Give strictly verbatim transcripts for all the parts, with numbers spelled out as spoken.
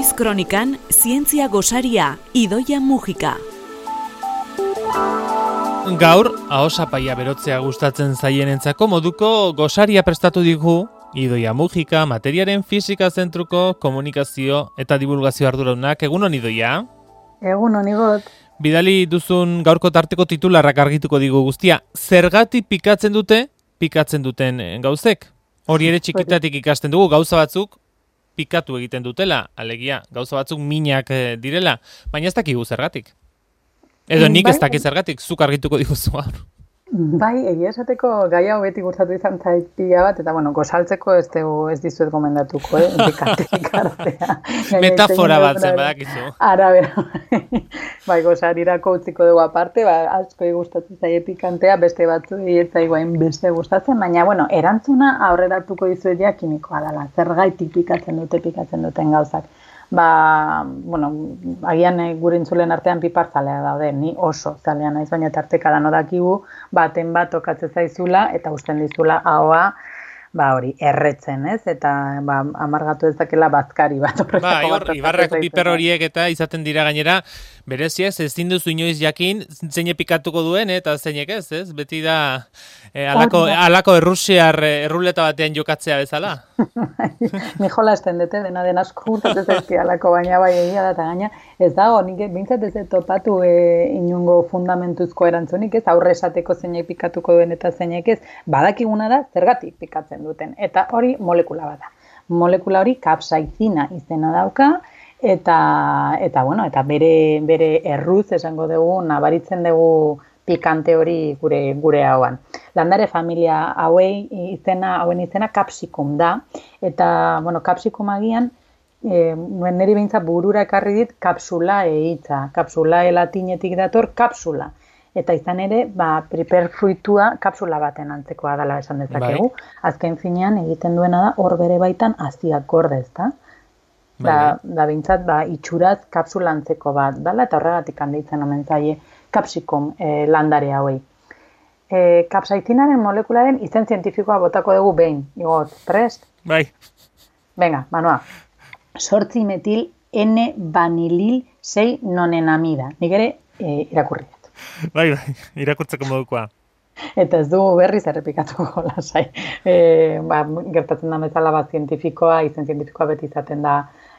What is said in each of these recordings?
Noiz kronikan, zientzia gosaria, Idoia Mujika. Gaur, ahosapaia berotzea gustatzen zaienentzako moduko gosaria prestatu digu Idoia Mujika, materiaren fisika zentruko komunikazio eta divulgazio arduradunak. Egunon, Idoia? Egunon, Igot. Bidali duzun gaurko tarteko titularrak argituko digu guztia. Zergatik pikatzen dute, pikatzen duten gauzek? Hori ere txikitatik ikasten dugu, gauza batzuk pikatu egiten dutela, alegia, gauza batzuk minak direla, baina ez dakigu zergatik. Edo nik ez dakit zergatik, zuk argituko diguzu gaur. Bai, egia esateko gai hau beti gustatu izan zait pila bat, eta bueno, gosaltzeko ez, dugu, ez dizuet gomendatuko, eh? Pikatik artea. Metafora bat zen, badakizu. Ara, bera. Bai, gosarirako utziko dugu aparte, ba, asko gustatzen zaie pikantea, beste batzu ez guain beste gustatzen, baina, bueno, erantzuna aurrera hartuko dizuet ja kimikoa dela. Zergaitik pikatzen dute, pikatzen duten gauzak. Ba, bueno, agian e, gure intzulen artean piparzalea daude, ni oso zalea naiz, baina tarteka dano dakigu, baten bat tokatzen zaizula eta usten dizula ahoa, ba hori, erretzen, ez? Eta ba, amargatu ez dakela bazkari bat. Ba, hor, ibarrak piper horiek eta izaten dira gainera, bereziez, ezin duzu inoiz jakin, zeine pikatuko duen, eta zeinek ez, ez? Beti da, e, alako, alako errusiar erruleta batean jokatzea bezala. Ni jola esten dute, dena den asko urtatzen zaizki alako, baina bai egia da, eta gaina, ez dago, nik bintzat ez topatu e, inungo fundamentuzko erantzunik, ez? Aurre esateko zeinek pikatuko duen eta zeinek ez, badakiguna da, zergatik pikatzen duten. Eta hori molekula bat da. Molekula hori kapsaizina izena dauka, eta eta bueno, eta bere bere erruz esango dugu, nabaritzen dugu pikante hori gure gure hauan. Landare familia hauei izena, hauen izena kapsikum da, eta bueno, kapsikum agian e, niri behintzat burura ekarri dit kapsula hitza. Kapsula latinetik dator kapsula. Eta izan ere, ba, piperfruitua kapsula baten antzekoa dela esan dezakegu. Bai. Azken finean egiten duena da, hor bere baitan haziak gorde, ezta? Bai. Da, da bintzat, ba, itxuraz kapsula antzeko bat dela, eta horregatik handeitzen omen zaie kapsikum e, landare hauei. E, kapsaizinaren molekularen izen zientifikoa botako dugu behin. Igot, prest? Bai. Venga, Manoa. Sortzi metil N-vanilil sei nonenamida. Nik ere e, irakurri. Bai, bai, irakurtzeko modukoa. Eta ez dugu berriz errepikatuko lasai. E, ba, gertatzen da bezala bat zientifikoa, izen zientifikoa beti izaten da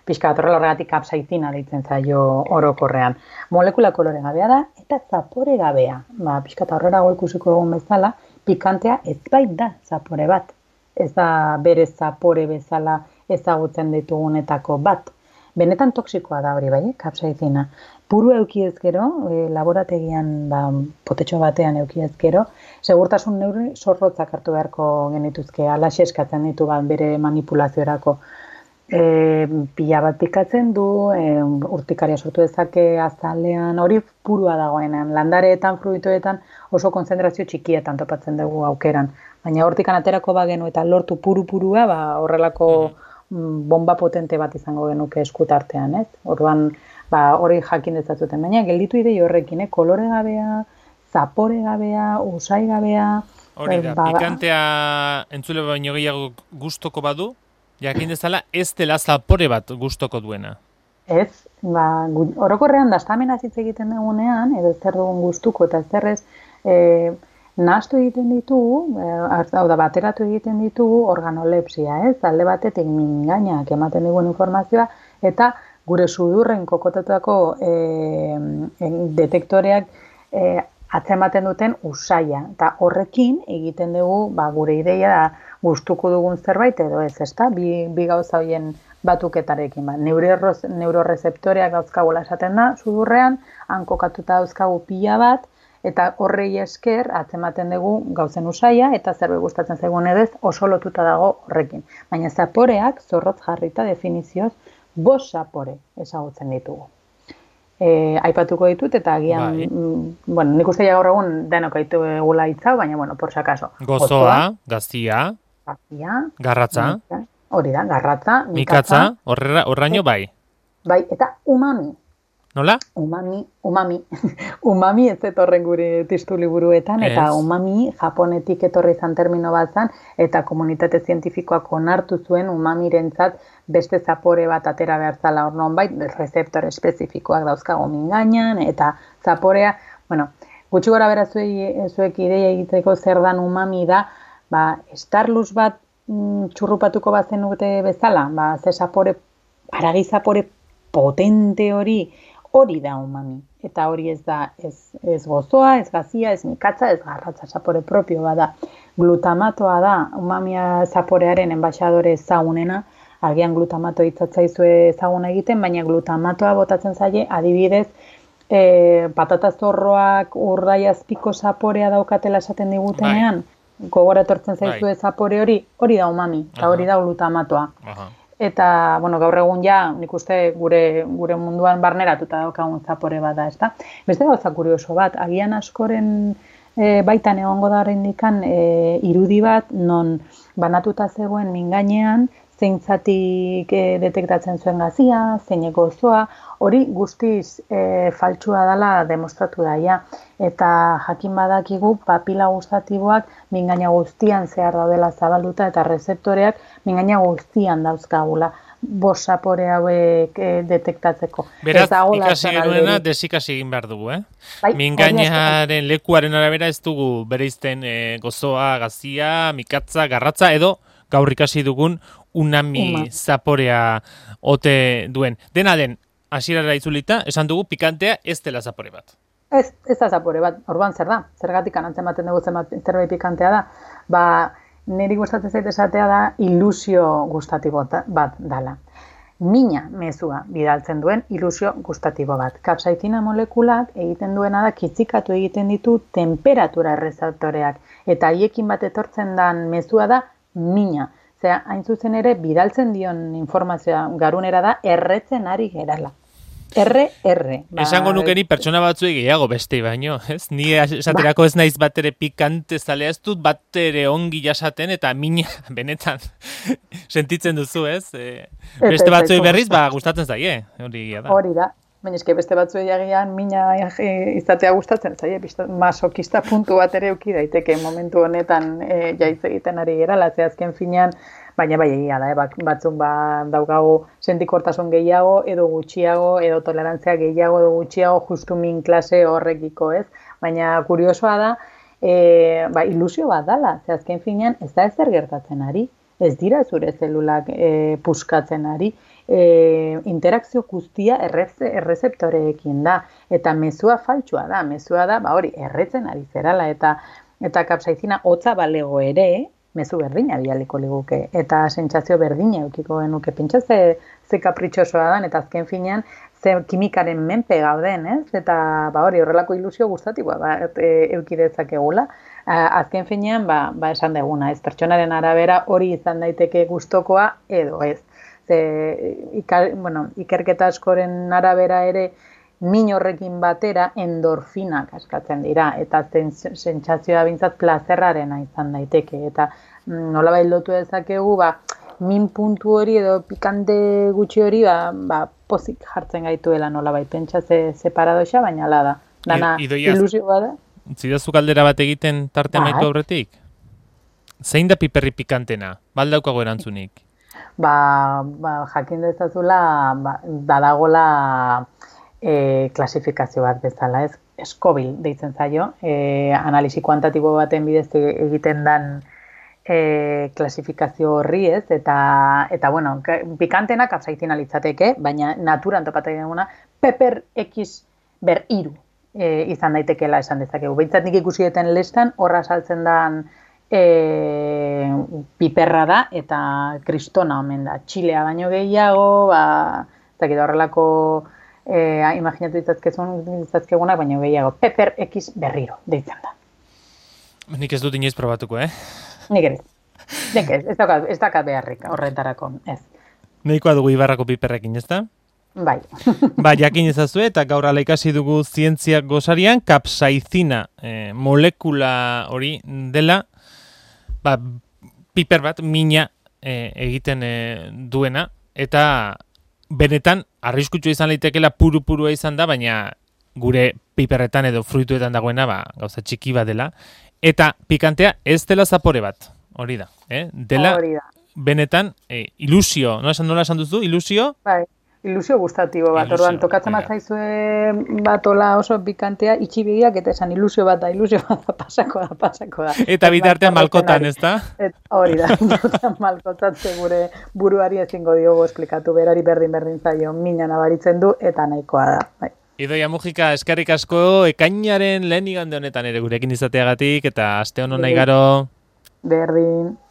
pixka bat horrela horregatik kapsaizina deitzen zaio orokorrean. Molekula kolore gabea da eta zapore gabea. Ba, pixka eta horrela ikusiko egun bezala, pikantea ez bait da zapore bat. Ez da bere zapore bezala ezagutzen ditugunetako bat. Benetan toksikoa da hori bai, kapsaizina. Puru eukiez gero, e, laborategian ba, potetxo batean eukiez gero, segurtasun neurri zorrotzak hartu beharko genituzke, alaxe eskatzen ditu bat bere manipulaziorako. E, pila bat pikatzen du, e, urtikaria sortu dezake azalean, hori purua dagoenean. Landareetan, fruitoetan oso konzentrazio txikietan topatzen dugu aukeran. Baina hortikan aterako bagenu eta lortu puru-purua, ba, horrelako bomba potente bat izango genuke eskutartean, ez? Orduan, ba, hori jakin dezazuten, baina gelditu idei horrekin, eh? Kolore gabea, zapore gabea, usai gabea. Hori da, ba, pikantea entzule baino gehiago gustoko badu, jakin dezala ez dela zapore bat gustoko duena. Ez, ba, orokorrean dastamenaz hitz egiten dugunean, edo zer dugun gustuko eta zer ez, e, nahastu egiten ditugu, hau da, bateratu egiten ditugu organolepsia, ez? Alde batetik mingainak ematen digun informazioa, eta gure sudurren kokotatutako e, e, detektoreak e, atzematen duten usaia. Eta horrekin egiten dugu, ba, gure ideia da gustuko dugun zerbait edo ez, ezta? Bi, bi gauza horien batuketarekin. Ba, neurorezeptoreak dauzkagula esaten da, sudurrean, han kokatuta dauzkagu pila bat, eta horrei esker atzematen dugu gauzen usaia eta zerbait gustatzen zaigun edez oso lotuta dago horrekin. Baina zaporeak zorrotz jarrita definizioz bost zapore ezagutzen ditugu. E, aipatuko ditut eta agian, bai. m, bueno, nik uste gaur egun denok aitu egula hitzau, baina, bueno, por si acaso. Gozoa, gaztia, gaztia, garratza, hori da, garratza, mikatza, horraino bai. Bai, eta umami. Nola? Umami, umami. Umami ez etorren gure testu liburuetan, eta umami japonetik etorri izan termino bat zan, eta komunitate zientifikoak onartu zuen umamirentzat beste zapore bat atera behar zala hor nonbait, rezeptore espezifikoak dauzkago mingainan, eta zaporea, bueno, gutxi gora bera zuei, zuek ideia egiteko zer dan umami da, ba, estarluz bat mm, txurrupatuko bazen dute bezala, ba, ze zapore, haragi zapore potente hori, hori da umami, eta hori ez da ez, ez gozoa, ez gazia, ez mikatza, ez garratza, zapore propio bada. Glutamatoa da, umamia zaporearen enbaixadore ezagunena, agian glutamato hitzatzaizue ezaguna egiten, baina glutamatoa botatzen zaie, adibidez, e, patata zorroak urdai azpiko zaporea daukatela esaten digutenean, bai. Gogora etortzen zaizue bai. Zapore hori, hori da umami, eta hori da glutamatoa. Aha. Eta, bueno, gaur egun ja, nik uste gure, gure munduan barneratuta daukagun zapore bada, ezta? Beste gauza kurioso bat, agian askoren e, baitan egongo da horrendikan e, irudi bat, non banatuta zegoen mingainean, zein zatik e, detektatzen zuen gazia, zein gozoa, hori guztiz e, faltsua dela demostratu daia. Eta jakin badakigu papila gustatiboak mingaina guztian zehar daudela zabalduta eta rezeptoreak mingaina guztian dauzkagula bost zapore hauek e, detektatzeko. Beraz, ikasi genuena desikasi egin behar dugu, eh? Bai, mingainaren lekuaren arabera ez dugu bereizten e, gozoa, gazia, mikatza, garratza edo gaur ikasi dugun unami Uma. Zaporea ote duen. Dena den, hasierara itzulita, esan dugu pikantea ez dela zapore bat. Ez, ez da zapore bat, orduan zer da, zergatik anantzen baten dugu zerbait pikantea da, ba, niri gustatzen zait esatea da ilusio gustatibo bat dala. Mina mezua bidaltzen duen ilusio gustatibo bat. Kapsaizina molekulak egiten duena da kitzikatu egiten ditu temperatura errezeptoreak, eta haiekin bat etortzen dan mezua da mina. Zera, hain zuzen ere, bidaltzen dion informazioa garunera da erretzen ari gerala. R, R. Ba, esango nuke ni pertsona batzuei gehiago beste baino, ez? Ni esaterako ba. Ez naiz batere pikante zalea, ez dut batere ongi jasaten eta mina benetan sentitzen duzu, ez? E, beste batzuei berriz, ba, gustatzen zaie, hori da. Hori da. Baina eske beste batzuei agian mina izatea gustatzen zaie, masokista puntu bat ere eduki daiteke momentu honetan e, jaiz egiten ari gerala, ze azken finean, baina bai egia da, eh? Batzuk ba, daukagu sentikortasun gehiago, edo gutxiago, edo tolerantzia gehiago, edo gutxiago, justu min klase horrekiko, ez? Baina kuriosoa da, e, ba, ilusio bat dala, ze azken finean ez da ezer gertatzen ari, ez dira zure zelulak e, puskatzen ari, e, interakzio guztia errezeptoreekin da, eta mezua faltsua da, mezua da, ba hori, erretzen ari zerala, eta, eta kapsaizina hotza balego ere, mezu berdina bialiko liguke, eta sentsazio berdina eukiko genuke, pentsa ze, ze kapritxosoa dan, eta azken finean, ze kimikaren menpe gauden, ez? Eta ba hori, horrelako ilusio gustatiboa ba, e, eukidezakegula. Azken finean, ba, ba esan deguna, ez? Pertsonaren arabera hori izan daiteke gustokoa edo ez. Ze, ikar, bueno, ikerketa askoren arabera ere, min horrekin batera endorfinak askatzen dira, eta sentsazioa bintzat plazerrarena izan daiteke, eta nolabait lotu dezakegu, ba, min puntu hori edo pikante gutxi hori, ba, ba pozik jartzen gaituela nolabait, pentsa ze, ze paradoxa, baina ala da. Dana ilusioa da. Zidazu galdera bat egiten tarte amaitu aurretik? Zein da piperri pikantena? Baldaukago erantzunik? Ba, ba jakin dezazula, ba, badagola E, klasifikazio bat bezala, ez? Scoville deitzen zaio, e, analisi kuantatibo baten bidez egiten dan e, klasifikazio horri, ez? Eta, eta bueno, pikantena kapsaizina litzateke, baina naturan topatzen duguna, pepper X ber hiru e, izan daitekeela esan dezakegu. Behintzat nik ikusi duten lestan, horra saltzen dan e, piperra da, eta kristona omen da. Txilea baino gehiago, ba, eta horrelako Eh, imaginatu ditzazkegunak, baina gehiago. Pepper X berriro, deitzen da. Nik ez dut inoiz probatuko, eh? Nik ez. Nik ez, ez dakat, ez dakat beharrik horretarako, ez. Nahikoa dugu Ibarrako piperrekin, ez da? Bai. Ba, jakin ezazue, eta gaur ala ikasi dugu zientziak gosarian, kapsaizina eh, molekula hori dela, ba, piper bat, mina eh, egiten eh, duena, eta benetan arriskutsu izan litekela puru-purua izan da, baina gure piperretan edo fruituetan dagoena, ba, gauza txiki bat dela. Eta pikantea ez dela zapore bat, hori da. Eh? Dela, hori da. Benetan, eh, ilusio, nola esan, nola esan duzu, ilusio? Bai, ilusio gustatibo bat, Ilusio, orduan tokatzen ja. bat zaizue batola oso pikantea, itxibideak eta esan ilusio bat da, ilusio bat da, pasako da, pasako da. Eta bitartean malkotan, ez da? Et, hori da, bitartean malkotatze gure buruari ezingo diogu esplikatu, berari berdin-berdin zaio, mina nabaritzen du, eta nahikoa da. Bai. Idoia Mujika, eskerrik asko, ekainaren lehen igande honetan ere gurekin izateagatik, eta aste hono nahi garo. Berdin.